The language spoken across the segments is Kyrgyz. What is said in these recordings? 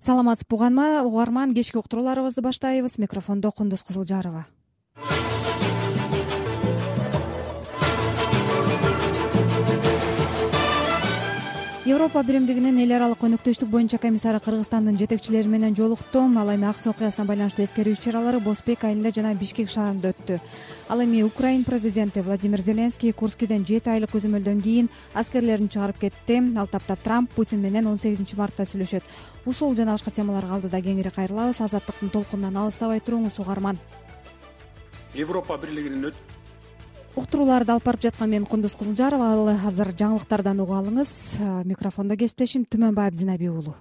Саламатсызбы угарман, кечки уктурууларыбызды баштайбыз. Микрофондо Кундуз Кызылжарова. Европа биримдигинин эл аралык өнөктөштүк боюнча комиссары Кыргызстандын жетекчилери менен жолукту. Ал эми Аксы окуясына байланыштуу эскерүү иш-чаралары Бозбек айылында жана Бишкек шаарында өттү. Ал эми Украин президенти Владимир Зеленский Курскиден 7 айлык көзөмөлдөн кийин аскерлерин чыгарып кетти. Ал таптап Трамп Путин менен 18 мартта сүйлөшөт. Ушул жана башка темаларга алдыда кеңири кайрылабыз. Азаттыктын толкунунан алыстабай туруңуз угарман. Европа бирлигинин Уктурууларды алып барып жаткан мен Кундуз Кызылжарова. Ал азыр жаңылыктардан угуп алыңыз. Микрофондо кесиптешим Түмөнбаев Зинаби уулу.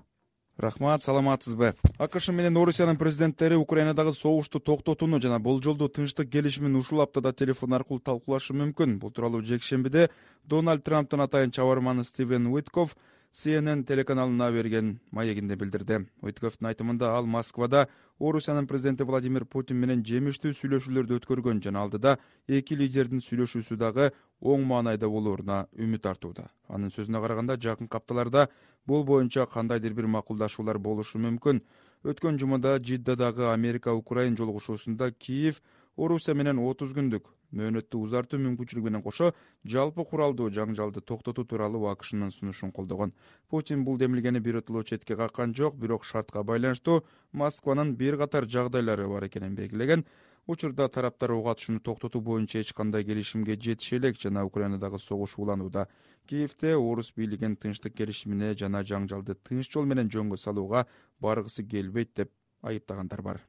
Рахмат, саламатсызбы? АКШ менен Орусиянын президенттери Украинадагы согушту токтотууну жана болжолдуу тынчтык келишимин ушул аптада телефон аркылуу талкуулашы мүмкүн. Бул тууралуу жекшембиде Дональд Трамптын атайын чабарманы Стивен Уитков CNN телеканалына берген маегинде билдирди. Уитковдун айтымында ал Москвада Орусиянын президенти Владимир Путин менен жемиштүү сүйлөшүүлөрдү өткөргөн жана алдыда эки лидердин сүйлөшүүсү дагы оң маанайда болооруна үмүт артууда. Анын сөзүнө караганда, жакынкы апталарда бул боюнча кандайдыр бир макулдашуулар болушу мүмкүн. Өткөн жумада Жиддадагы Америка-Украин жолугушуусунда Киев Орусия менен 30 күндүк мөөнөттү узартуу мүмкүнчүлүгү менен кошо жалпы куралдуу жаңжалды токтотуу тууралуу АКШнын сунушун колдогон. Путин бул демилгени биротоло четке каккан жок, бирок шартка байланыштуу Москванын бир катар жагдайлары бар экенин белгилеген. Учурда тараптар ок атышууну токтотуу боюнча эч кандай келишимге жетише элек жана Украинадагы согуш уланууда. Киевде орус бийлигин тынчтык келишимине жана жаңжалды тынч жол менен жөнгө салууга баргысы келбейт деп айыптагандар бар.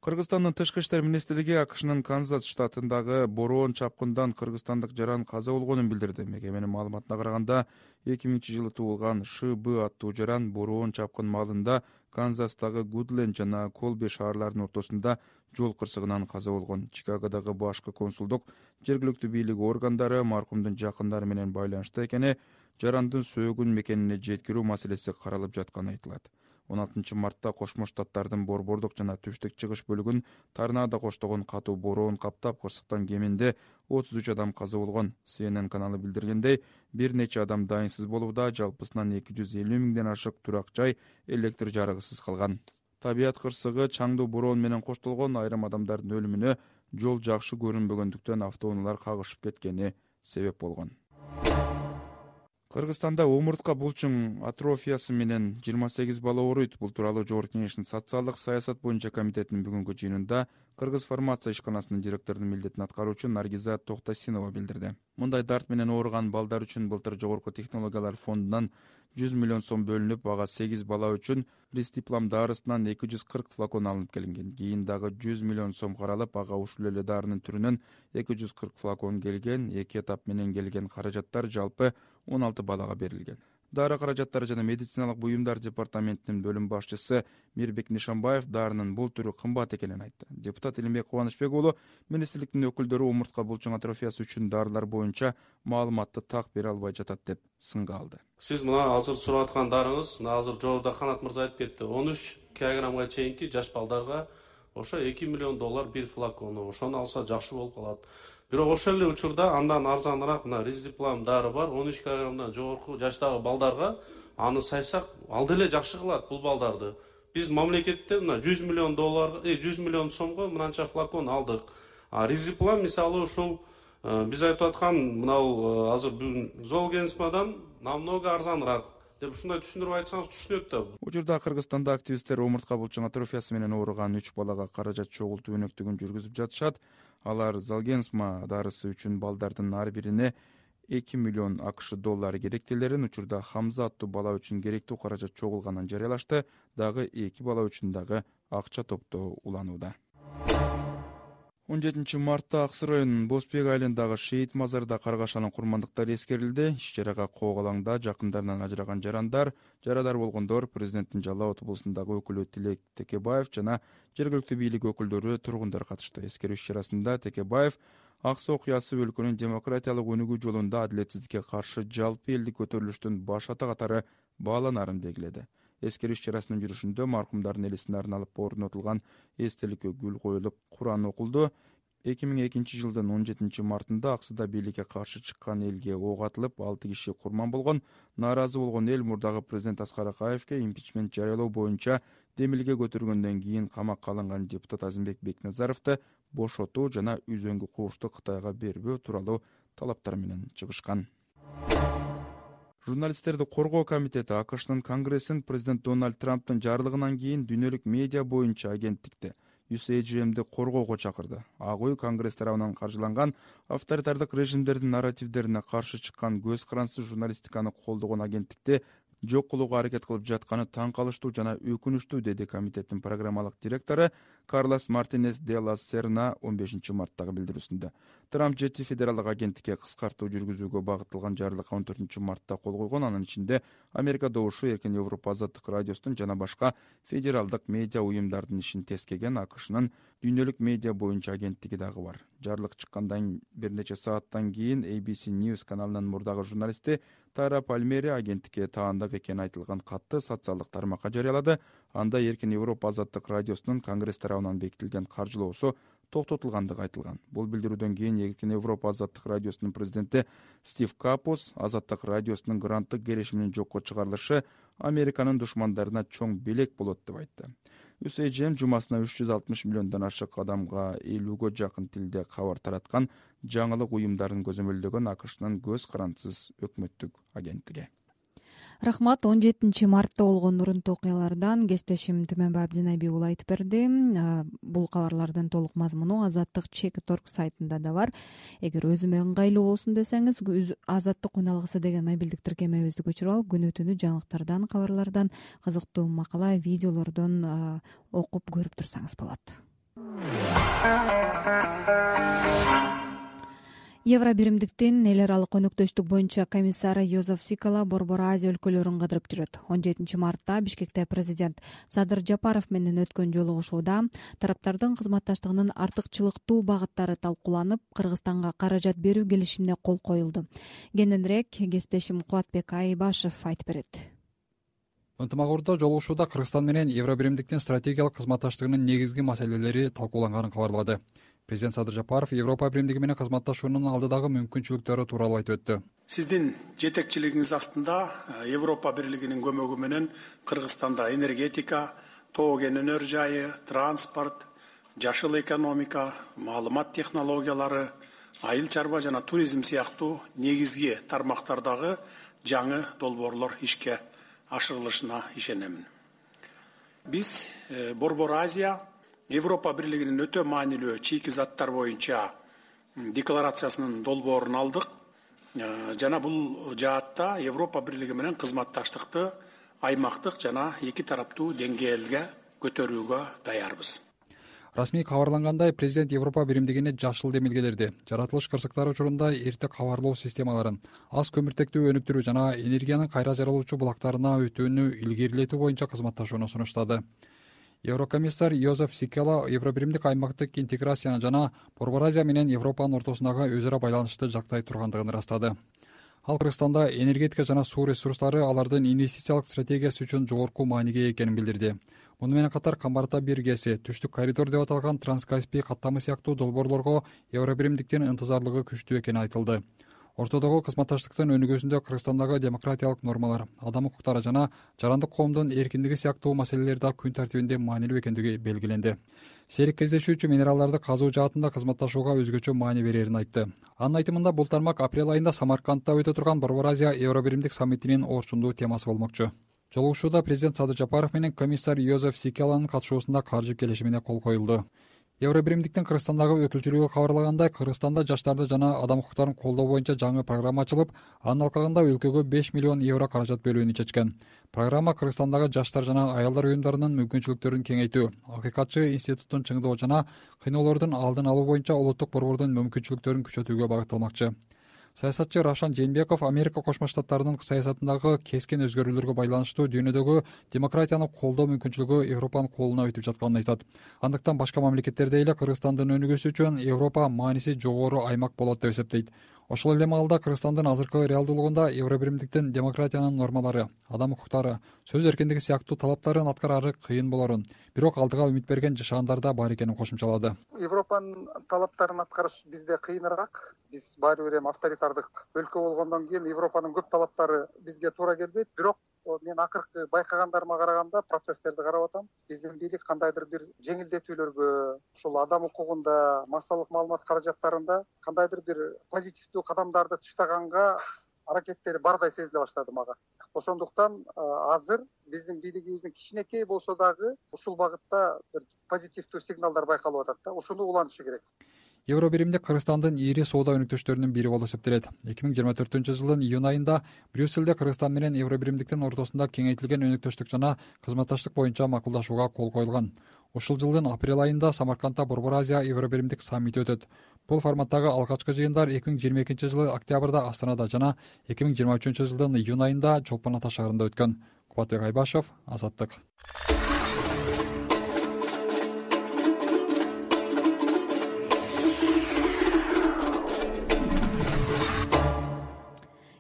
Кыргызстандын тышкы иштер министрлиги АКШнын Канзас штатындагы бороон чапкындан кыргызстандык жаран каза болгонун билдирди. Мекеменин маалыматына караганда, 2000-жылы туулган ШБ аттуу жаран бороон чапкын маалында Канзастагы Гудленд жана Колби шаарларынын ортосунда жол кырсыгынан каза болгон. Чикагодагы башкы консулдук жергиликтүү бийлик органдары маркумдун жакындары менен байланышта экени, жарандын сөөгүн мекенине жеткирүү маселеси каралып жатканы айтылат. 16 мартта Кошмо Штаттардын борбордук жана түштүк чыгыш бөлүгүн торнадо коштогон катуу бороон каптап, кырсыктан кеминде 33 адам каза болгон. CNN каналы билдиргендей, бир нече адам дайынсыз болууда, жалпысынан 250 миңден ашык турак жай электр жарыгысыз калган. Табият кырсыгы чаңдуу бороон менен коштолгон, айрым адамдардын өлүмүнө жол жакшы көрүнбөгөндүктөн автоунаалар кагышып кеткени себеп болгон. Кыргызстанда омуртка булчуң атрофиясы менен 28 бала ооруйт. Бул тууралуу Жогорку Кеңештин социалдык саясат боюнча комитетинин бүгүнкү жыйынында Кыргыз фармация ишканасынын директорунун милдетин аткаруучу Наргиза Токтосинова билдирди. Мындай дарт менен ооруган балдар үчүн былтыр Жогорку технологиялар фондунан 100 миллион сом бөлүнүп, ага 8 бала үчүн Ристиплам дарысынан 240 флакон алынып келинген. Кийин дагы 100 миллион сом каралып, ага ушул эле дарынын түрүнөн 240 флакон келген. Эки этап менен келген каражаттар жалпы 16 балага берилген. Дары каражаттары жана медициналык буюмдар департаментинин бөлүм башчысы Мирбек Нишанбаев дарынын бул түрү кымбат экенин айтты. Депутат Илимбек Кубанычбек уулу министрликтин өкүлдөрү омуртка булчуң атрофиясы үчүн дарылар боюнча маалыматты так бере албай жатат деп сынга алды. Сиз мына азыр сурап аткан дарыңыз, мына азыр жогоруда Канат мырза айтып кетти. 13 килограммга чейинки жаш балдарга ошо $2 миллион бир флакону. Ошону алса жакшы болуп калат. Бирок ошол эле учурда андан арзаныраак мына Ристиплам дары бар. 13 килограммдан жогорку жаштагы балдарга аны сайсак алды эле жакшы кылат бул балдарды. Биз мамлекеттен мына $100 миллион 100 миллион сомго мынанча флакон алдык. Ристиплам мисалы ушул биз айтып аткан мынау азыр бүгүн Золгенсмадан намного арзаныраак деп ушундай түшүндүрүп айтсаңыз түшүнөт да. Учурда Кыргызстанда активисттер омуртка булчуң атрофиясы менен ооруган 3 балага каражат чогултуу өнөктүгүн жүргүзүп жатышат. Алар Золгенсма дарысы үчүн балдардын ар бирине $2 миллион АКШ керектелерин, учурда Хамза аттуу бала үчүн керектүү каражат чогулганын жарыялашты. Дагы 2 бала үчүн дагы акча топтоо уланууда. 17 мартта Аксы районунун Бозбек айылындагы Шейит мазарда каргашанын курмандыктары эскерилди. Иш-чарага Коогалаңда жакындарынан ажыраган жарадар болгондор, президенттин Жалал Абад облусундагы өкүлү Тилек Текебаев жана жергиликтүү бийлик өкүлдөрү, тургундар катышты. Эскерүү иш-чарасында Текебаев Аксы окуясы өлкөнүн демократиялык өнүгүү жолунда адилетсиздикке каршы жалпы элдик көтөрүлүштүн баш ата катары бааланарын белгиледи. Эскерүү иш-чарасынын жүрүшүндө маркумдардын элисине арналып орнотулган эстеликкө гүл коюлуп, Куран окулду. 2002 жылдын 17 мартында Аксыда бийликке каршы чыккан элге ок атылып 6 киши курман болгон. Нааразы болгон эл мурдагы президент Аскар Акаевке импичмент жарыялоо боюнча демилге көтөргөндөн кийин камакка алынган депутат Азимбек Бекназаровду бошотуу жана үзөңгү куушту Кытайга бербөө тууралуу талаптар менен чыгышкан. Журналисттерди коргоо комитети АКШнын Конгрессин президент Дональд Трамптын жарлыгынан кийин дүйнөлүк медиа боюнча агенттикти USAGM'ди коргоого чакырды. Ак үй Конгресс тарабынан каржыланган авторитардык режимдердин нарративдерине каршы чыккан көз карансыз журналистиканы колдогон агенттикти жок кылууга аракет кылып жатканы таң калыштуу жана өкүнүчтүү, деди комитеттин программалык директору Карлос Мартинес де ла Серна 15 марттагы билдирүүсүндө. Трамп жети федералдык агенттикке кыскартуу жүргүзүүгө багытталган жарлыкка 14 мартта кол койгон. Анын ичинде Америка добушу, Эркин Европа азаттык радиосунун жана башка федералдык медиа уюмдардын ишин тескеген АКШнын дүйнөлүк медиа боюнча агенттиги дагы бар. Жарлык чыккандан бир нече сааттан кийин ABC News каналынын мурдагы журналисти Тара Пальмери агенттикке таандык экени айтылган катты социалдык тармакка жарыялады. Анда Эркин Европа азаттык радиосунун Конгресс тарабынан бекитилген каржылоосу токтотулгандыгы айтылган. Бул билдирүүдөн кийин Эркин Европа азаттык радиосунун президенти Стив Капус азаттык радиосунун гранттык келишиминин жокко чыгарылышы Американын душмандарына чоң белек болот деп айтты. USAGM жумасына 360 миллиондон ашык адамга 50гө жакын тилде кабар тараткан жаңылык уюмдарын көзөмөлдөгөн АКШнын көз карансыз өкмөттүк агенттиги. Рахмат. 17 мартта болгон урунтуу окуялардан кесиптешим Түмөнбай Абдинайби уулу айтып берди. Бул кабарлардын толук мазмуну Азаттык Check.org сайтында да бар. Эгер өзүмө ыңгайлуу болсун десеңиз, Азаттык уналгысы деген мобилдик тиркемебизди көчүрүп алып, күнү-түнү жаңылыктардан, кабарлардан, кызыктуу макала, видеолордон окуп көрүп турсаңыз болот. Евробиримдиктин эл аралык өнөктөштүк боюнча комиссары Йозеф Сикала Борбор Азия өлкөлөрүн кыдырып жүрөт. 17 мартта Бишкекте президент Садыр Жапаров менен өткөн жолугушууда тараптардын кызматташтыгынын артыкчылыктуу багыттары талкууланып, Кыргызстанга каражат берүү келишимине кол коюлду. Кененирээк кесиптешим Кубатбек Айбашев айтып берет. Ынтымагордо жолугушууда Кыргызстан менен Евробиримдиктин стратегиялык кызматташтыгынын негизги маселелери талкууланганын кабарлады. Президент Садыр Жапаров Европа биримдиги менен кызматташуунун алдыдагы мүмкүнчүлүктөрү тууралуу айтып өттү. Сиздин жетекчилигиңиз астында Европа бирлигинин көмөгү менен Кыргызстанда энергетика, тоо кен өнөр жайы, транспорт, жашыл экономика, маалымат технологиялары, айыл чарба жана туризм сыяктуу негизги тармактардагы жаңы долбоорлор ишке ашырылышына ишенемин. Биз Борбор Азия Европа бирлигинин өтө маанилүү чийки заттар боюнча декларациясынын долбоорун алдык жана бул жаатта Европа бирлиги менен кызматташтыкты аймактык жана эки тараптуу деңгээлге көтөрүүгө даярбыз. Расмий кабарлангандай, президент Европа биримдигине жашыл демилгелерди, жаратылыш кырсыктары учурунда эрте кабарлоо системаларын, аз көмүртектүү өнүктүрүү жана энергиянын кайра жаралуучу булактарына өтүүнү илгерилетүү боюнча кызматташууну сунуштады. Еврокомиссар Йозеф Сикала Евробиримдик аймактык интеграцияны жана Борбор Азия менен Европанын ортосундагы өз ара байланышты жактай тургандыгын ырастады. Ал Кыргызстанда энергетика жана суу ресурстары алардын инвестициялык стратегиясы үчүн жогорку мааниге экенин билдирди. Муну менен катар Камбарта биргеси, Түштүк коридор деп аталган Транскаспий каттамы сыяктуу долбоорлорго Евробиримдиктин ынтызарлыгы күчтүү экени айтылды. Ортодогу кызматташтыктын өнүгүүсүндө Кыргызстандагы демократиялык нормалар, адам укуктары жана жарандык коомдун эркиндиги сыяктуу маселелер да күн тартибинде маанилүү экендиги белгиленди. Серик кездешүүчү минералдарды казуу жаатында кызматташууга өзгөчө маани берерин айтты. Анын айтымында бул тармак апрель айында Самаркандта өтө турган Борбор Азия Евробиримдик саммитинин орчундуу темасы болмокчу. Жолугушууда президент Садыр Жапаров менен комиссар Йозеф Сикаланын катышуусунда каржы келишимине кол коюлду. Евробиримдиктин Кыргызстандагы өкүлчүлүгү кабарлагандай, Кыргызстанда жаштарды жана адам укуктарын колдоо боюнча жаңы программа ачылып, анын алкагында өлкөгө 5 миллион евро каражат бөлүүнү чечкен. Программа Кыргызстандагы жаштар жана аялдар уюмдарынын мүмкүнчүлүктөрүн кеңейтүү, акыйкатчы институттун чыңдоо жана кыйноолордун алдын алуу боюнча улуттук борбордун мүмкүнчүлүктөрүн күчөтүүгө багытталмакчы. Саясатчы Равшан Жээнбеков Америка Кошмо Штаттарынын саясатындагы кескин өзгөрүүлөргө байланыштуу дүйнөдөгү демократияны колдоо мүмкүнчүлүгү Европанын колуна өтүп жатканын айтат. Андыктан башка мамлекеттердей эле Кыргызстандын өнүгүүсү үчүн Европа мааниси жогору аймак болот деп эсептейт. Ошол эле маалда Кыргызстандын азыркы реалдуулугунда Евробиримдиктин демократиянын нормалары, адам укуктары, сөз эркиндиги сыяктуу талаптарын аткарары кыйын болорун, бирок алдыга үмүт берген жашагандар да бар экенин кошумчалады. Европанын талаптарын аткарыш бизде кыйыныраак. Биз баары бир эми авторитардык өлкө болгондон кийин Европанын көп талаптары бизге туура келбейт. Бирок мен акыркы байкагандарыма караганда, процесстерди карап атам. Биздин бийлик кандайдыр бир жеңилдетүүлөргө, ушул адам укугунда, массалык маалымат каражаттарында кандайдыр бир позитивдүү кадамдарды таштаганга аракеттери бардай сезиле баштады мага. Ошондуктан азыр биздин бийлигибиздин кичинекей болсо дагы ушул багытта бир позитивдүү сигналдар байкалып атат да. Ушуну улантышы керек. Евробиримдик Кыргызстандын ири соода өнүктөштөрүнүн бири болуп эсептелет. 2024-жылдын июнь айында Брюссельде Кыргызстан менен Евробиримдиктин ортосунда кеңейтилген өнүктөштүк жана кызматташтык боюнча макулдашууга кол коюлган. Ушул жылдын апрель айында Самаркандда Борбор Азия Евробиримдик саммити өтөт. Бул форматтагы алгачкы жыйындар 2022-жылы октябрда Астанада жана 2023-жылдын июнь айында Чолпон Ата шаарында өткөн. Кубатбек Айбашев, Азаттык.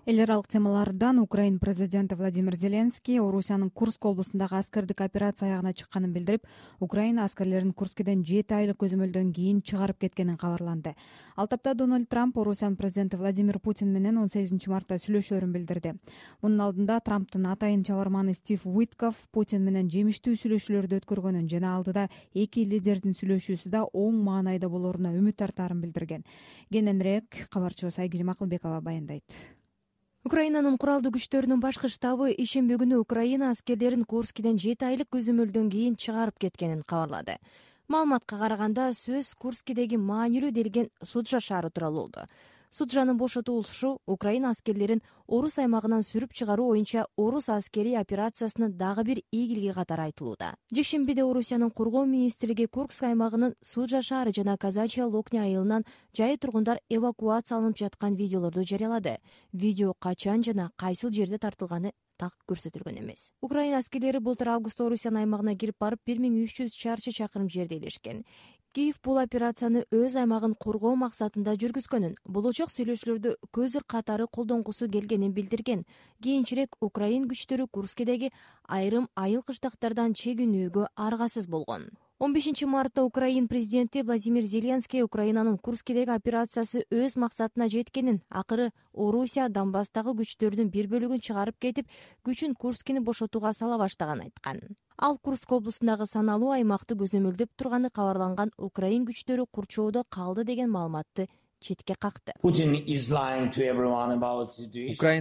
Эл аралык темалардан Украина президенти Владимир Зеленский Орусиянын Курск облусундагы аскердик операция аягына чыкканын билдирип, Украина аскерлерин Курскиден 7 айлык көзөмөлдөн кийин чыгарып кеткенин кабарланды. Ал тапта Дональд Трамп Орусиянын президенти Владимир Путин менен 18-мартта сүйлөшөөрүн билдирди. Мунун алдында Трамптын атайын чабарманы Стив Уитков Путин менен жемиштүү сүйлөшүүлөрдү өткөргөнүн жана алдыда эки лидердин сүйлөшүүсү да оң маанайда болоруна үмүт артаарын билдирген. Кененирээк кабарчыбыз Айгерим Акылбекова баяндайт. Украинанын куралдуу күчтөрүнүн башкы штабы ишемби күнү Украина аскерлерин Курскиден 7 айлык көзөмөлдөн кийин чыгарып кеткенин кабарлады. Маалыматка караганда сөз Курскидеги маанилүү делген Суджа шаары тууралуу болду. Суджанын бошотулушу Украина аскерлерин Орус аймагынан сүрүп чыгаруу боюнча Орус аскерий операциясынын дагы бир ийгилиги катары айтылууда. Жешембиде Орусиянын коргоо министрлиги Курск аймагынын Суджа шаары жана Казачья Локня айылынан жай тургундар эвакуацияланып жаткан видеолорду жарыялады. Видео качан жана кайсыл жерде тартылганы так көрсөтүлгөн эмес. Украина аскерлери былтыр августта Орусиянын аймагына кирип барып 1300 чарчы чакырым жерде элешкен. Киев бул операцияны өз аймагын коргоо максатында жүргүзгөнүн, болочок сүйлөшүүлөрдө көзүр катары колдонгусу келгенин билдирген. Кийинчерээк Украин күчтөрү Курскидеги айрым айыл кыштактардан чегинүүгө аргасыз болгон. 15-мартта Украин президенти Владимир Зеленский Украинанын Курскидеги операциясы өз максатына жеткенин, акыры Орусия Донбасстагы күчтөрдүн бир бөлүгүн чыгарып кетип, күчүн Курскини бошотууга сала баштаганын айткан. Ал Курск облусундагы саналуу аймакты көзөмөлдөп турганы кабарланган Украин күчтөрү курчоодо калды деген маалыматты четке какты. Украин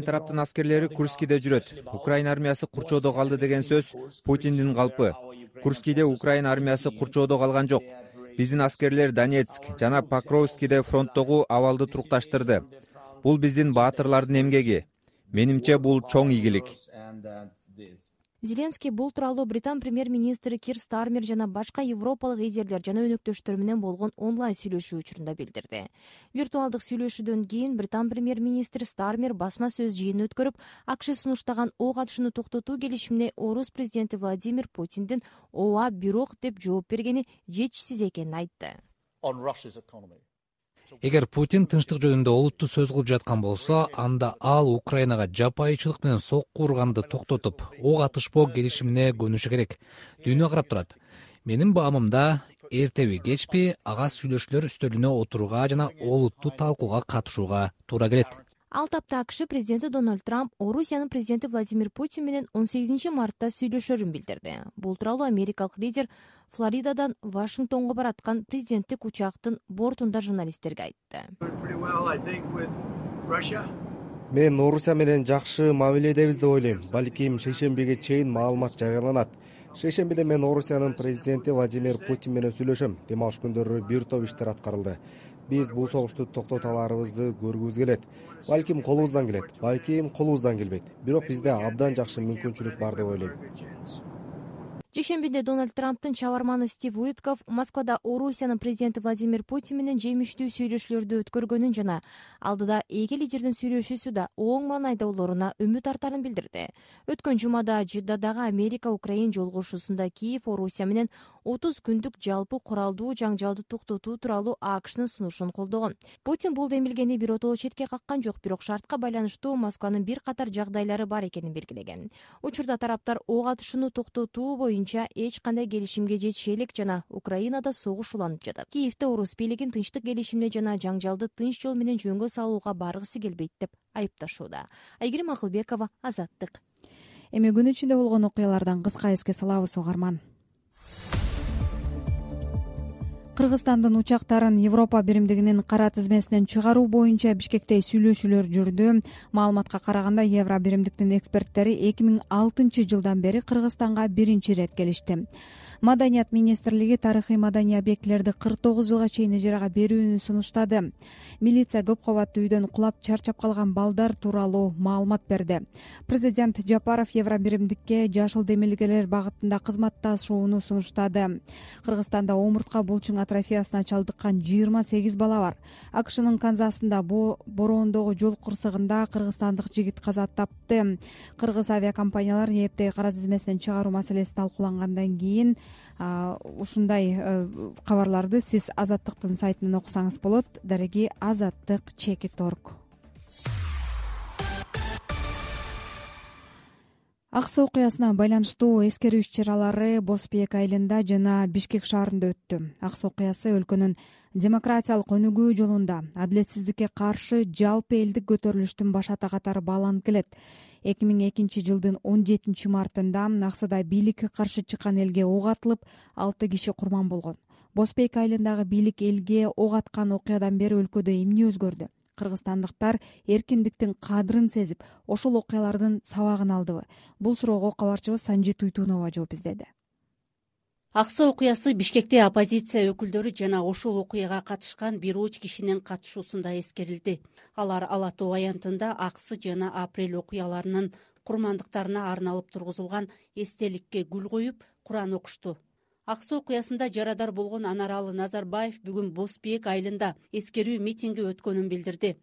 тараптын аскерлери Курскиде жүрөт. Украин армиясы курчоодо калды деген сөз Путиндин калпы. Курскиде Украин армиясы курчоодо калган жок. Биздин аскерлер Донецк жана Покровскиде фронттогу абалды турукташтырды. Бул биздин баатырлардын эмгеги. Менимче бул чоң ийгилик. Зеленский бул тууралуу Британ премьер-министри Кир Стармер жана башка европалык лидерлер жана өнөктөштөр менен болгон онлайн сүйлөшүү учурунда билдирди. Виртуалдык сүйлөшүүдөн кийин Британ премьер-министри Стармер басма сөз жыйынын өткөрүп, АКШ сунуштаган ок атышууну токтотуу келишимине Орус президенти Владимир Путиндин ооба бирок деп жооп бергени жетишсиз экенин айтты. Эгер Путин тынчтык жөнүндө олуттуу сөз кылып жаткан болсо, анда ал Украинага жапайычылык менен сокку урганды токтотуп, ок атышпоо келишимине көнүшү керек. Дүйнө карап турат. Менин баамымда эртеби кечпи ага сүйлөшүүлөр үстөлүнө отурууга жана олуттуу талкууга катышууга туура келет. Ал тапта АКШ президенти Дональд Трамп Орусиянын президенти Владимир Путин менен 18-мартта сүйлөшөөрүн билдирди. Бул тууралуу америкалык лидер Флоридадан Вашингтонго бараткан президенттик учактын бортунда журналисттерге айтты. Мен Орусия менен жакшы мамиледебиз деп ойлойм. Балким шейшембиге чейин маалымат жарыяланат. Шейшембиде мен Орусиянын президенти Владимир Путин менен сүйлөшөм. Дем алыш күндөрү бир топ иштер аткарылды. Биз бул согушту токтото аларыбызды көргүбүз келет. Балким колубуздан келет, балким колубуздан келбейт. Бирок бизде абдан жакшы мүмкүнчүлүк бар деп ойлойм. Жешембиде Дональд Трамптын чабарманы Стив Уитков Москвада Орусиянын президенти Владимир Путин менен жемиштүү сүйлөшүүлөрдү өткөргөнүн жана алдыда эки лидердин сүйлөшүүсү да оң маанайда болоруна үмүт артаарын билдирди. Өткөн жумада Жиддадагы Америка-Украин жолугушуусунда Киев Орусия менен 30 күндүк жалпы куралдуу жаңжалды токтотуу тууралуу АКШнын сунушун колдогон. Путин бул демилгени биротоло четке каккан жок, бирок шартка байланыштуу Москванын бир катар жагдайлары бар экенин белгилеген. Учурда тараптар ок атышууну токтотуу боюнча эч кандай келишимге жетише элек жана Украинада согуш уланып жатат. Киевде орус бийлигин тынчтык келишимине жана жаңжалды тынч жол менен жөнгө салууга баргысы келбейт деп айыпташууда. Айгерим Акылбекова, Азаттык. Эми күн ичинде болгон окуялардан кыска эске салабыз, угарман. Кыргызстандын учактарын Европа биримдигинин кара тизмесинен чыгаруу боюнча Бишкекте сүйлөшүүлөр жүрдү. Маалыматка караганда, Евро биримдиктин эксперттери 2006 жылдан бери Кыргызстанга биринчи ирет келишти. Маданият министрлиги тарыхый маданий объектилерди 49 жылга чейин ижарага берүүнү сунуштады. Милиция көп кабаттуу үйдөн кулап чарчап калган балдар тууралуу маалымат берди. Президент Жапаров Евро биримдикке жашыл демилгелер багытында кызматташууну сунуштады. Кыргызстанда омуртка булчуң атрофиясына чалдыккан 28 бала бар. АКШнын Канзасында бороондогу жол кырсыгында кыргызстандык жигит каза тапты. Кыргыз авиакомпаниялар ээптеги кара тизмесинен чыгаруу маселеси талкуулангандан кийин ушундай кабарларды сиз Азаттыктын сайтынан окусаңыз болот. Дареги azattik.org. Аксы окуясына байланыштуу эскерүү иш-чаралары Босбек айылында жана Бишкек шаарында өттү. Аксы окуясы өлкөнүн демократиялык өнүгүү жолунда адилетсиздикке каршы жалпы элдик көтөрүлүштүн башата катары бааланып келет. 2002 жылдын 17 мартында Аксыда бийликке каршы чыккан элге ок атылып, 6 киши курман болгон. Босбек айылындагы бийлик элге ок аткан окуядан бери өлкөдө эмне өзгөрдү? Кыргызстандыктар эркиндиктин кадырын сезип, ошол окуялардын сабагын алдыбы? Бул суроого кабарчыбыз Санжит Уйтунова жооп издеди. Аксы окуясы Бишкекте оппозиция өкүлдөрү жана ошол окуяга катышкан бир уч кишинин катышуусунда эскерилди. Алар Ала Тоо аянтында Аксы жана Апрель окуяларынын курмандыктарына арналып тургузулган эстеликке гүл коюп, Куран окушту. Аксы окуясында жарадар болгон Анаралы Назарбаев бүгүн Босбек айылында эскерүү митинги өткөнүн билдирди.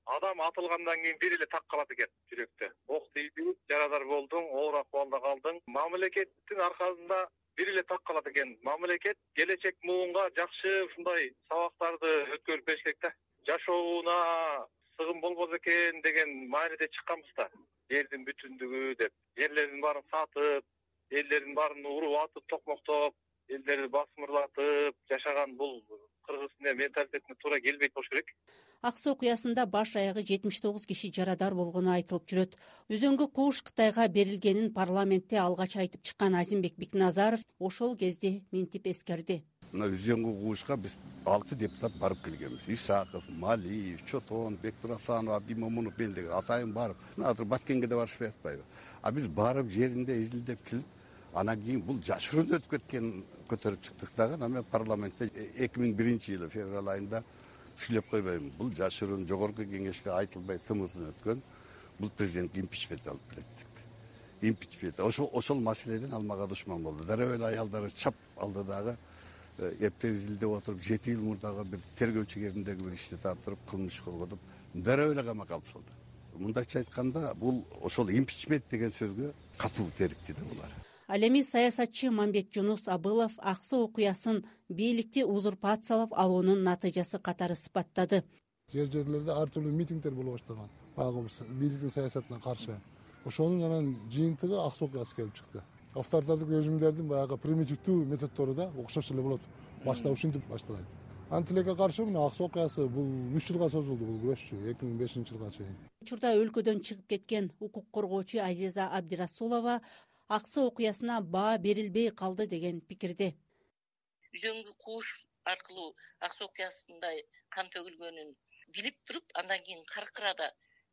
Адам атылгандан кийин бир эле так калат экен жүрөктө. Ок тийди, жарадар болдуң, оор акыбалда калдың. Мамлекеттин аркасында бир эле так калат экен. Мамлекет келечек муунга жакшы ушундай сабактарды өткөрүп бериш керек да. Жашооуна сыгым болбосо экен деген мааниде чыкканбыз да. Жердин бүтүндүгү деп, жерлердин баарын сатып, элдердин баарын уруп атып, токмоктоп, элдерди басмырлатып жашаган бул кыргыздын менталитетине туура келбейт болуш керек. Аксы окуясында баш аягы 79 киши жарадар болгону айтылып жүрөт. Үзөңгү кууш Кытайга берилгенин парламентте алгач айтып чыккан Азимбек Бикназаров ошол кезде минтип эскерди. Мына үзөңгү куушка биз 6 депутат барып келгенбиз. Исаков, Малиев, Чотон, Бектурасанов, Абдимомунов мен деген атайын барып, азыр Баткенге да барышпай атпайбы. А биз барып жеринде изилдеп келип, анан кийин бул жашыруун өтүп кеткенин көтөрүп чыктык дагы. Анан парламентте 2001 жылы февраль айында сүйлөп койбоймун. Бул жашыруун жогорку кеңешке айтылбай тымызын өткөн. Бул президент импичмент алып келет деп. Импичмент. Ошол маселеден алмага душман болду. Дароо эле аялдары чап алды дагы. Эптеп изилдеп отуруп 7 жыл мурдагы бир тергөөчү кезиндеги бир ишти тартырып, кылмыш корготуп, дароо эле камакка алып салды. Мындайча айтканда, бул ошол импичмент деген сөзгө катуу терикти да булар. Ал эми саясатчы Мамбет Жунус Абылов Аксы окуясын бийликти узурпациялап алуунун натыйжасы катары сыпаттады. Жерлерде ар түрдүү митингдер боло баштаган. Багы бийликтин саясатына каршы. Ошонун анан жыйынтыгы Аксы окуясы келип чыкты. Авторитардык режимдердин баягы примитивдүү методдору да окшош эле болот. Башта ушинтип башталат. Антилекке каршы мына Аксы окуясы бул 3 жылга созулду бул күрөшчү 2005 жылга чейин. Учурда өлкөдөн чыгып кеткен укук коргоочу Азиза Абдирасулова Аксы окуясына баа берилбей калды деген пикирде. Үзөңгү кууш аркылуу Аксы окуясында кан төгүлгөнүн билип туруп, андан кийин каркырада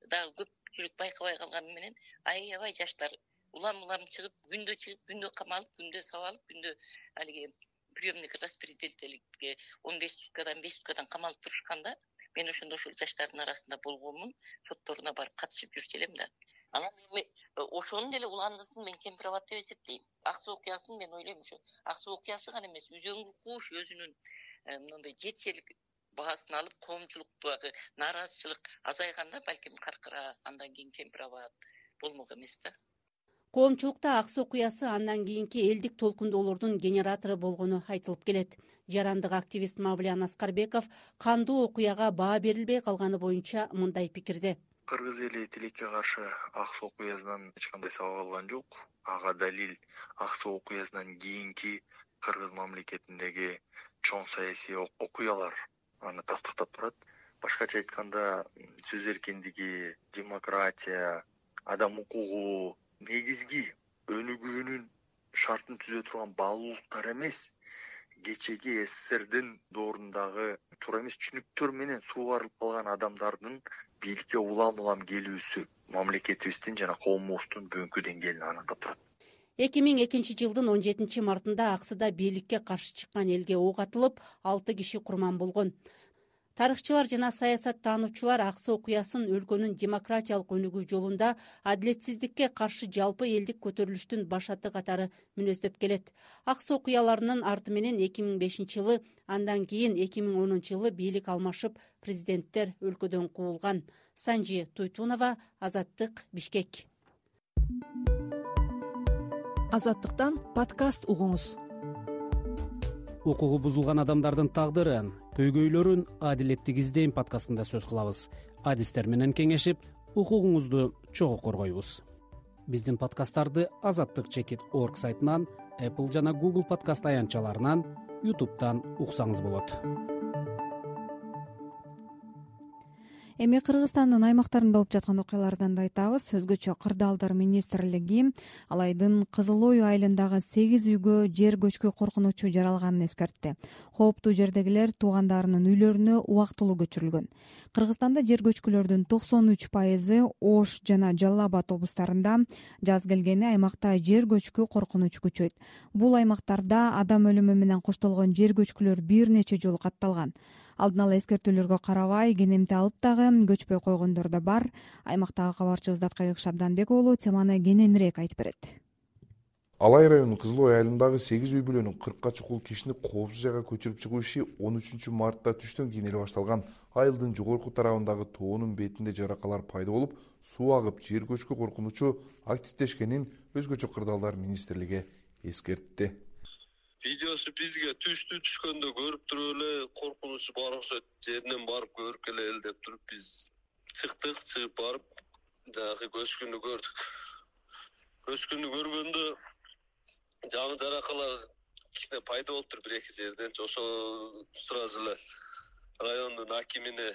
дагы көпчүлүк байкабай калганы менен аябай жаштар улам чыгып, күндө камалып, күндө сабалып, күндө алиги приемник распределителикке 15 суткадан 5 суткадан камалып турушканда, мен ошондо ушул жаштардын арасында болгонмун, сотторуна барып катышып жүрчү элем да. Анан ошонун деле уландысын мен кемпирабад деп эсептейм. Аксы окуясын мен ойлойм ушу Аксы окуясы гана эмес, үзөңгү кууш өзүнүн мындай жетишелик баасын алып, коомчулуктагы нааразычылык азайганда балким Каркыра, андан кийин Кемпирабад болмок эмес да. Коомчулукта аксы окуясы андан кийинки элдик толкундоолордун генератору болгону айтылып келет. Жарандык активист Мавлиян Аскарбеков кандуу окуяга баа берилбей калганы боюнча мындай пикирде. Кыргыз эли тилекке каршы аксы окуясынан эч кандай сабак алган жок. Ага далил аксы окуясынан кийинки кыргыз мамлекетиндеги чоң саясий окуялар аны тастыктап турат. Башкача айтканда, сөз эркиндиги, демократия, адам укугу негизги өнүгүүнүн шартын түзө турган баалуулуктар эмес, кечеги СССРдин доорундагы туура эмес түшүнүктөр менен суугарылып калган адамдардын бийликке улам келүүсү мамлекетибиздин жана коомубуздун бүгүнкү деңгээлин аныктап турат. 2002 жылдын 17 мартында Аксыда бийликке каршы чыккан элге ок атылып, 6 киши курман болгон. Тарыхчылар жана саясаттануучулар аксы окуясын өлкөнүн демократиялык өнүгүү жолунда адилетсиздикке каршы жалпы элдик көтөрүлүштүн башаты катары мүнөздөп келет. Аксы окуяларынын арты менен 2005 жылы, андан кийин 2010 жылы бийлик алмашып, президенттер өлкөдөн куулган. Санжи Туйтунова, Азаттык, Бишкек. Азаттыктан подкаст угуңуз. Укугу бузулган адамдардын тагдырын, көйгөйлөрүн адилеттик издейм подкастында сөз кылабыз. Адистер менен кеңешип, укугуңузду чогуу коргойбуз. Биздин подкасттарды azattik.org сайтынан, Apple жана Google подкаст аянтчаларынан, YouTube'дан уксаңыз болот. Эми Кыргызстандын аймактарында болуп жаткан окуялардан да айтабыз. Өзгөчө Кырдаалдар министрлиги Алайдын Кызыл Ой айылындагы 8 үйгө жер көчкү коркунучу жаралганын эскертти. Кооптуу жердегилер туугандарынын үйлөрүнө убактылуу көчүрүлгөн. Кыргызстанда жер көчкүлөрдүн 93% Ош жана Жалал Абад облустарында, жаз келгени аймакта жер көчкү коркунучу күчөйт. Бул аймактарда адам өлүмү менен коштолгон жер көчкүлөр бир нече жолу катталган. Алдын ала эскертүүлөргө карабай, кенемти алып дагы көчпөй койгондор да бар. Аймактагы кабарчыбыз Даткайык Шабданбек уулу теманы кененирээк айтып берет. Алай районунун Кызыл Ой айылындагы 8 үй бүлөнүн 40ка чукул кишини коопсуз жайга көчүрүп чыгуу иши 13 мартта түштөн кийин эле башталган. Айылдын жогорку тарабындагы тоонун бетинде жаракалар пайда болуп, суу агып, жер көчкү коркунучу активдешкенин өзгөчө Кырдаалдар министрлиги эскертти. Видеосу бизге түшкөндө көрүп туруп эле коркунучу бар окшойт. Жеринен барып көрүп келели деп туруп биз чыктык, чыгып барып жанагы көчкүнү көрдүк. Көчкүнү көргөндө жаңы жаракалар кичине пайда болуптур бир-эки жерден. Ошо сразу эле райондун акимине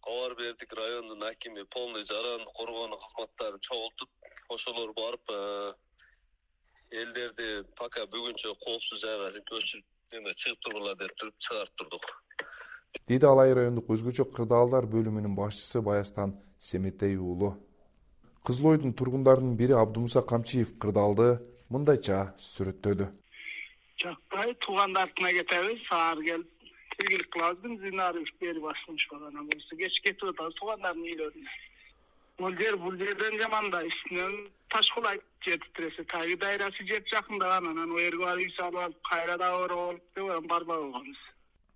кабар бердик. Райондун акими полный жараны коргоонун кызматтарын чогултуп, ошолор барып элдерди пока бүгүнчө коопсуз жайга көчүрүп чыгып тургула деп туруп чыгарып турдук. Деди Алай райондук өзгөчө Кырдаалдар бөлүмүнүн башчысы Баястан Семетей уулу. Кызыл Ойдун тургундарынын бири Абдумуса Камчиев Кырдаалды мындайча сүрөттөдү. Жакпай туугандардына кетебиз, саар келип тиргилик кылабыз, бензин берип башташып анан болсо кеч кетип атабыз туугандардын үйлөрүнө. Бул жерден жаманда үстүнөн таш кулайт, жетип тиресе таги дайрасы жеп жакындаган, анан о жерге барып үй салып алып, кайра да оор болуп деп барбай койгонбуз.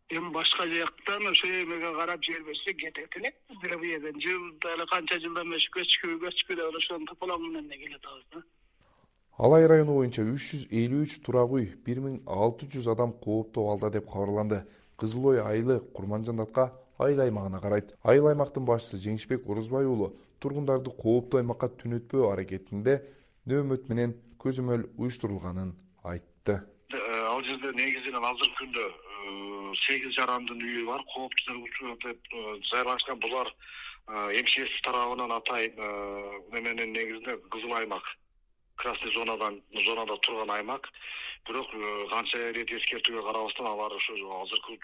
Эми башка жактан ошо эмеге карап жер берсе кетет элек. Бул жерден жылда эле канча жылдан бери көчкү деп ошону тополам менен келет атабыз. Алай району боюнча 353 турак үй, 1600 адам кооптуу абалда деп кабарланды. Кызыл Ой айылы Курманжандатка айыл аймагына карайт. Айыл аймактын башчысы Жеңишбек Орозбай уулу тургундарды кооптуу аймакка түнөтпөө аракетинде нөөмөт менен көзөмөл уюштурулганын айтты. Ал жерде негизинен азыркы күндө 8 жарандын үйү бар, кооптуу деп жайлашкан. Булар МЧС тарабынан атайын менен негизинде кызыл аймак, красный зонада турган аймак. Бирок канча рет эскертүүгө карабастан алар ошо азыркы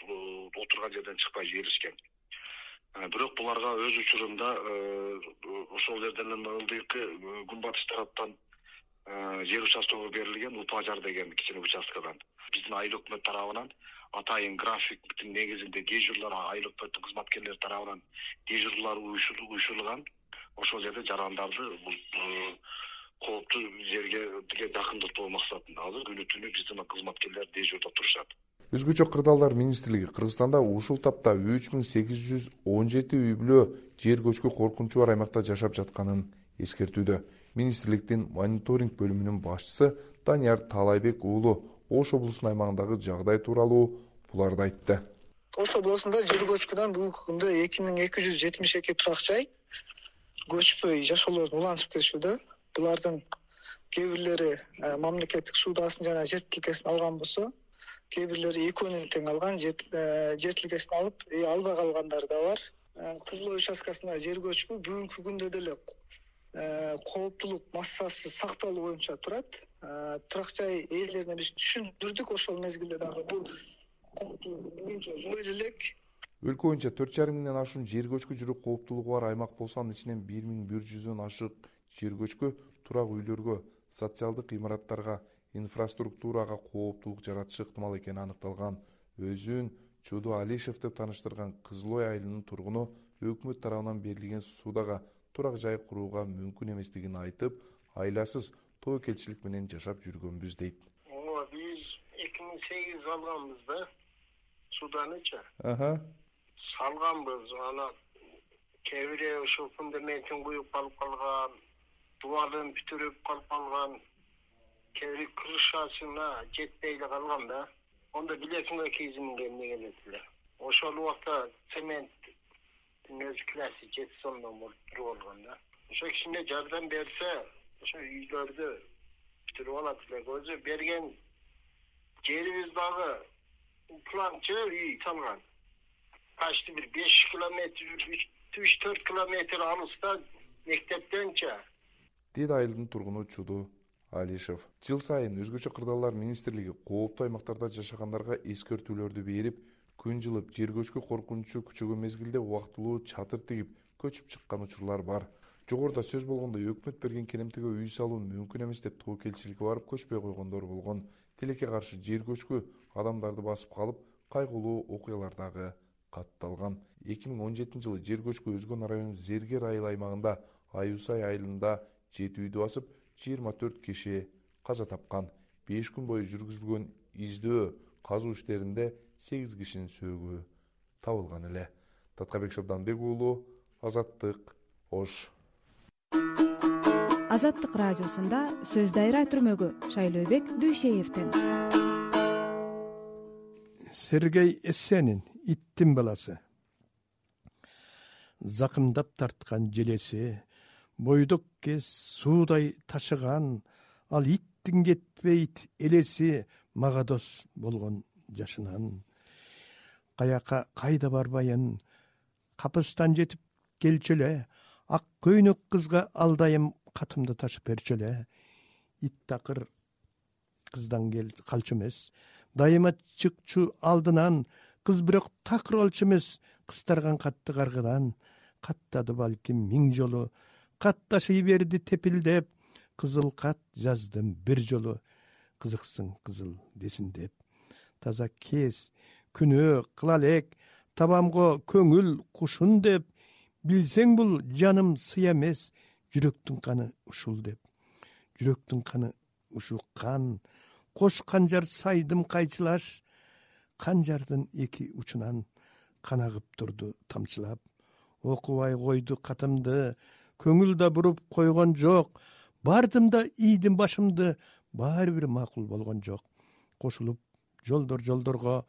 отурган жерден чыкпай жиберишкен. Бирок буларга өз учурунда ошол жерден ылдыйкы күнбатыш тараптан жер участогу берилген, Упажар деген кичине участкадан. Биздин айыл өкмөт тарабынан атайын графиктин негизинде дежурлар, айыл өкмөттүн кызматкерлери тарабынан дежурлар уюшулган. Ошол жерде жарандарды кооптуу жерге жакындатуу максатында азыр күнү түнү биздин кызматкерлер дежурда турушат. Өзгөчө Кырдаалдар министрлиги Кыргызстанда ушул тапта 3817 үй бүлө жер көчкү коркунучу бар аймакта жашап жатканын эскертүүдө. Министрликтин мониторинг бөлүмүнүн башчысы Данияр Талайбек уулу Ош облусунун аймагындагы жагдай тууралуу буларды айтты. Ош облусунда жер көчкүнөн бүгүнкү күндө 2272 турак жай көчпөй жашоолордун уланышып келишүүдө. Булардын кээ бирлери мамлекеттик суудасын жана жер тилкесин алган болсо, кээ бирлери экөөнүн тең алган, жер тилкесин алып, албай калгандар да бар. Кызыл Ой участкасында жер көчкү бүгүнкү күндө деле кооптулук массасы сакталуу боюнча турат. Турак жай ээлерине биз түшүндүрдүк, ошол мезгилде дагы бул кооптулук бүгүнчө жок элек. Өлкө боюнча 4,5 миңден ашуун жер көчкү жүрүү кооптулугу бар аймак болсо, анын ичинен 1100дөн ашык жер көчкү турак үйлөргө, социалдык имараттарга, инфраструктурага кооптулук жаратышы ыктымал экени аныкталган. Өзүн Чуду Алишев деп тааныштырган Кызыл Ой айылынын тургуну өкмөт тарабынан берилген суудага турак жай курууга мүмкүн эместигин айтып, айласыз тобокелчилик менен жашап жүргөнбүз дейт. Биз 2008 алганбыз да, суданычы. Салганбыз, ана кээ бири ошол фундаментин куюп калып калган, дубалын бүтүрүп калып калган, кээ бири крышасына жетпей эле калган да. Онда билетинге кийизимге эмне келет эле. Ошол убакта цементтин өзү классы жети сомдон болуп туруп алган да. Ошо кичине жардам берсе, ошо үйлөрдү бүтүрүп алат эле. Өзү берген жерибиз дагы планчы үй салган. Почти бир 5 километр, 3-4 километр алыста мектептенчи. Дейт айылдын тургуну Чуду Алишев. Жыл сайын өзгөчө кырдаалдар министрлиги кооптуу аймактарда жашагандарга эскертүүлөрдү берип, күн жылып жер көчкү коркунучу күчөгөн мезгилде убактылуу чатыр тигип көчүп чыккан учурлар бар. Жогоруда сөз болгондой, өкмөт берген керемтиге үй салуу мүмкүн эмес деп тобокелчиликке барып көчпөй койгондор болгон. Тилекке каршы жер көчкү адамдарды басып калып, кайгылуу окуялар дагы катталган. 2017 жылы жер көчкү Өзгөн районунун Зергер айыл аймагында Аюсай айылында 7 үйдү басып, 24 киши каза тапкан. 5 күн бою жүргүзүлгөн издөө казуу иштеринде 8 кишинин сөөгү табылган эле. Таткабек Шабданбек уулу, Азаттык, Ош. Азаттык радиосунда сөз дайра түрмөгү Шайлообек Дүйшеевден. Сергей Эссенин иттин баласы. Закымдап тарткан желеси, бойдок кез суудай ташыган, ал иттин кетпейт элеси мага дос болгон жашынан. Каяка кайда барбайын, капыстан жетип келчү эле, ак көйнөк кызга алдайым катымды ташып берчү эле. Ит такыр кыздан калчу эмес, дайыма чыкчу алдынан, кыз бирок такыр болчу эмес, кыстарган катты каргыдан. Каттады балким 1000 жолу, катташый берди тепилдеп, кызыл кат жаздым бир жолу, кызыксың кызыл десин деп. Таза кез, күнөө кыла элек, табамго көңүл кушун деп, билсең бул жаным сый эмес, жүрөктүн каны ушул деп. Жүрөктүн каны ушул кан, кош канжар сайдым кайчылаш, канжардын эки учунан кан агып турду тамчылап. Окубай койду катымды, көңүл да буруп койгон жок, бардым да ийдим башымды, баары бир макул болгон жок. Кошулуп жолдорго,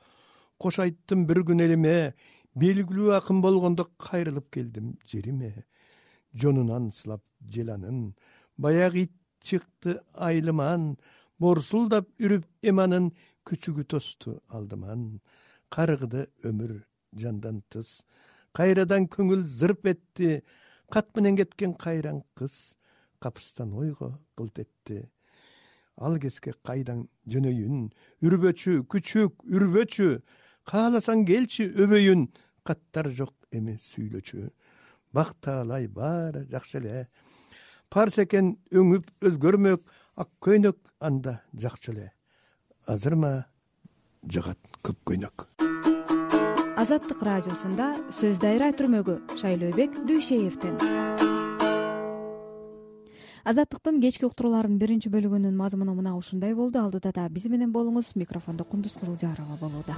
кош айттым бир күн элиме, белгилүү акын болгондо кайрылып келдим жериме. Жонунан сылап желанын, баягы ит чыкты айылыман, борсулдап үрүп эманын, күчүгү тосту алдыман. Карыгды өмүр жандан тыс, кайрадан көңүл зырп этти, кат менен кеткен кайран кыз, капыстан ойго кылт этти. Ал кезге кайдан жөнөйүн, үрбөчү, күчүк, үрбөчү, кааласаң келчи өбөйүн, каттар жок эми сүйлөчү. Бактаалай баары жакшы эле, парс экен өңүп өзгөрмөк, ак көйнөк анда жакчу эле. Азырма жагат көк көйнөк. Азаттык радиосунда сөз дайра түрмөгү Шайлообек Дүйшеевден. Азаттыктын кечки уктурууларынын биринчи бөлүгүнүн мазмуну мына ушундай болду. Алдыда да биз менен болуңуз. Микрофондо Кундуз Кызылжарова болууда.